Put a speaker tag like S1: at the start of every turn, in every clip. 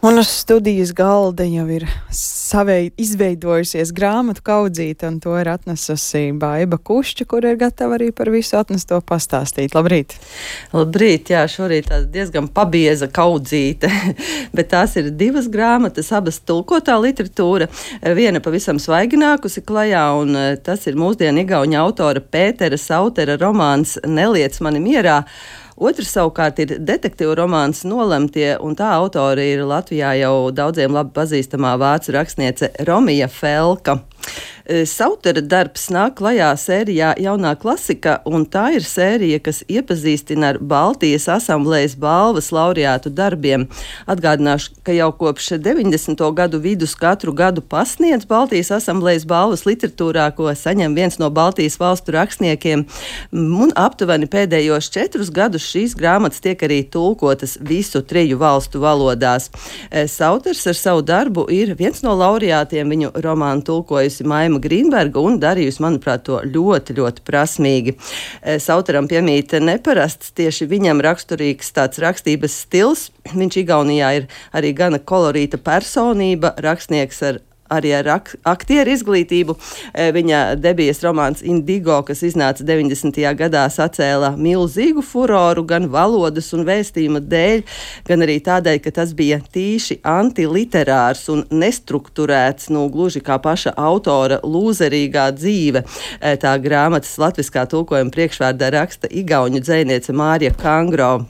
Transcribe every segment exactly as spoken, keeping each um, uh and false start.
S1: Un uz studijas galda jau ir savei izveidojusies grāmatu kaudzīte, un to ir atnesusi Baiba Kušķa, kur ir gatava arī par visu atnesto pastāstīt. Labrīt!
S2: Labrīt, jā, šorīt tāda diezgan pabieza kaudzīte, bet tās ir divas grāmatas, abas tulkotā literatūra, viena pavisam svaiginākusi klajā, un tas ir mūsdienu igauņa autora Pētera Sautera romāns Neliec mani mierā. Otrs savukārt ir detektīvu romāns Nolemtie, un tā autori ir Latvijā jau daudziem labi pazīstamā vācu rakstniece Romija Felka. Sautera darbs nāk klajā sērijā Jaunā klasika, un tā ir sērija, kas iepazīstina ar Baltijas asamblējas balvas laureātu darbiem. Atgādināšu, ka jau kopš deviņdesmito gadu vidus katru gadu pasniedz Baltijas asamblējas balvas literatūrā, ko saņem viens no Baltijas valstu rakstniekiem, un aptuveni pēdējos četrus gadus šīs grāmatas tiek arī tulkotas visu triju valstu valodās. Sauters ar savu darbu ir viens no laureātiem, viņu romānu tulkojusi Maima Grīnberga un darījusi, manuprāt, to ļoti, ļoti prasmīgi. Sauteram piemīt neparasts, tieši viņam raksturīgs tāds rakstības stils. Viņš Igaunijā ir arī gana kolorīta personība, rakstnieks ar arī ar ak aktieru izglītību. Viņa debijas romāns Indigo, kas iznāca deviņdesmitajā gadā, sacēla milzīgu furoru gan valodas un vēstījuma dēļ, gan arī tādēļ, ka tas bija tīši antiliterārs un nestrukturēts, nu, gluži kā paša autora lūzerīgā dzīve. Tā grāmatas latviskā tulkojuma priekšvārdā raksta igauņu dzejniece Mārija Kangro.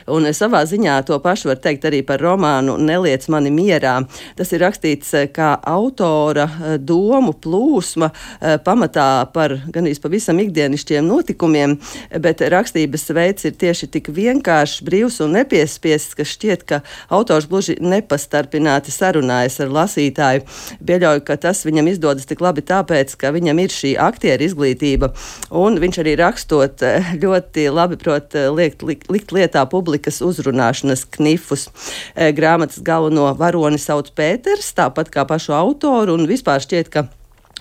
S2: Un savā ziņā to pašu var teikt arī par romānu Neliec mani mierā. Tas ir rakstīts kā autora domu plūsma, pamatā par ganīs pavisam ikdienišķiem notikumiem, bet rakstības veids ir tieši tik vienkāršs, brīvs un nepiespiests, ka šķiet, ka autors gluži nepastarpināti sarunājas ar lasītāju. Pieļauju, ka tas viņam izdodas tik labi tāpēc, ka viņam ir šī aktieru izglītība, un viņš arī rakstot ļoti labi prot liekt, likt, likt lietā publikas uzrunāšanas knifus. Grāmatas galveno varoni sauc Pēters, tāpat kā pašu autoru, un vispār šķiet, ka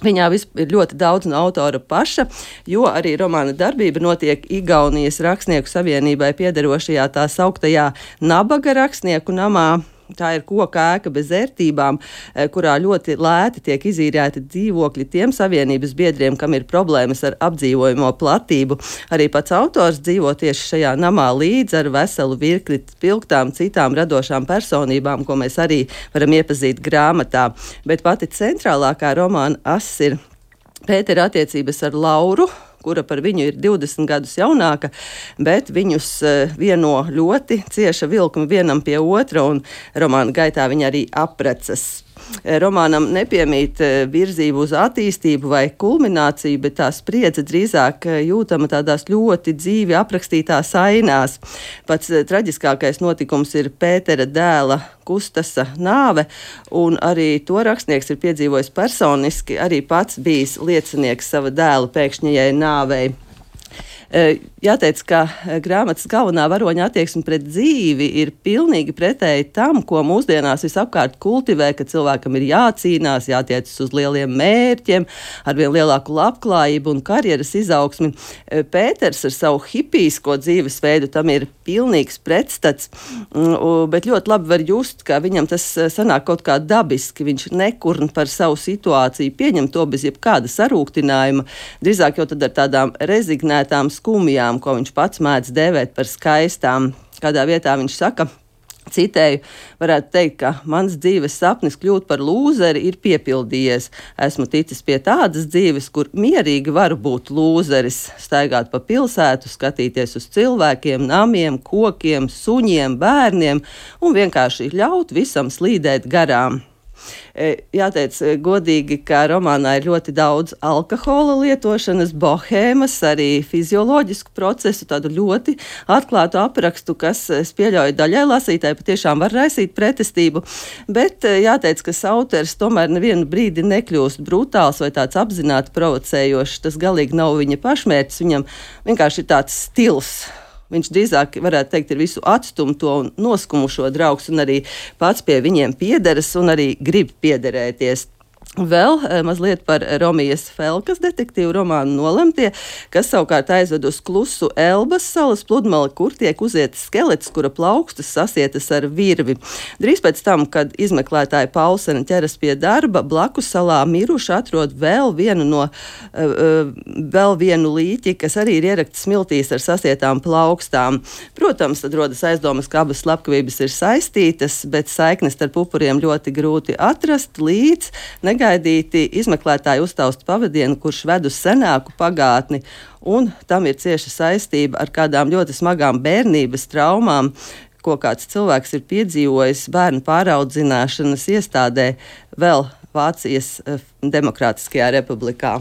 S2: viņā ir ļoti daudz no autora paša, jo arī romāna darbība notiek Igaunijas rakstnieku savienībai piederošajā tā sauktajā Nabaga rakstnieku namā. Tā ir koka ēka bez ērtībām, kurā ļoti lēti tiek izīrēti dzīvokļi tiem savienības biedriem, kam ir problēmas ar apdzīvojamo platību. Arī pats autors dzīvo tieši šajā namā līdz ar veselu virkni spilgtām citām radošām personībām, ko mēs arī varam iepazīt grāmatā. Bet pati centrālākā romāna ass ir Pētera attiecības ar Lauru, kura par viņu ir divdesmit gadus jaunāka, bet viņus vieno ļoti cieša vilkuma vienam pie otra, un romāna gaitā viņi arī apprecas. Romānam nepiemīt virzību uz attīstību vai kulmināciju, bet tā spriedze drīzāk jūtama tādās ļoti dzīvi aprakstītās ainās. Pats traģiskākais notikums ir Pētera dēla Kustasa nāve, un arī to rakstnieks ir piedzīvojis personiski, arī pats bijis liecinieks sava dēla pēkšņajai nāvei. Jāteic, ka grāmatas galvenā varoņa attieksme pret dzīvi ir pilnīgi pretēji tam, ko mūsdienās visapkārt kultivē, ka cilvēkam ir jācīnās, jātiecas uz lieliem mērķiem, ar vien lielāku labklājību un karjeras izaugsmi. Pēters ar savu hipijsko dzīvesveidu tam ir pilnīgs pretstats, bet ļoti labi var just, ka viņam tas sanāk kaut kā dabiski. Viņš nekurn par savu situāciju, pieņem to bez jebkāda sarūktinājuma, drīzāk jau tad ar tādām rezignētām skumjām, ko viņš pats mēdz dēvēt par skaistām. Kādā vietā viņš saka, citēju, varētu teikt, ka mans dzīves sapnis kļūt par lūzeri ir piepildījies. Esmu ticis pie tādas dzīves, kur mierīgi varu būt lūzeris, staigāt pa pilsētu, skatīties uz cilvēkiem, namiem, kokiem, suņiem, bērniem un vienkārši ļaut visam slīdēt garām. Jāteic godīgi, ka romānā ir ļoti daudz alkohola lietošanas, bohēmas, arī fizioloģisku procesu, tādu ļoti atklātu aprakstu, kas, es pieļauju, daļai lasītāji patiešām var raisīt pretestību, bet jāteic, ka Sauters tomēr nevienu brīdi nekļūst brutāls vai tāds apzināti provocējošs. Tas galīgi nav viņa pašmērķis, viņam vienkārši ir tāds stils. Viņš drīzāk, varētu teikt, ir visu atstumto un noskumušo draugs un arī pats pie viņiem piederas un arī grib piederēties. Vēl mazliet par Romijas Felkas detektīvu romānu Nolemtie, kas savukārt aizved uz klusu Elbas salas pludmali, kur tiek uzietas skelets, kura plaukstas sasietas ar virvi. Drīz pēc tam, kad izmeklētāja Paulsena ķeras pie darba, blakus salā miruši atrod vēl vienu, no, uh, vēl vienu līķi, kas arī ir ierakts smiltīs ar sasietām plaukstām. Protams, tad rodas aizdomas, ka abas slepkavības ir saistītas, bet saiknes starp upuriem ļoti grūti atrast, līdz negaidīti izmeklētāji uztausta pavadienu, kurš ved uz senāku pagātni, un tam ir cieša saistība ar kādām ļoti smagām bērnības traumām, ko kāds cilvēks ir piedzīvojis bērnu pāraudzināšanas iestādē vēl Vācijas Demokrātiskajā republikā.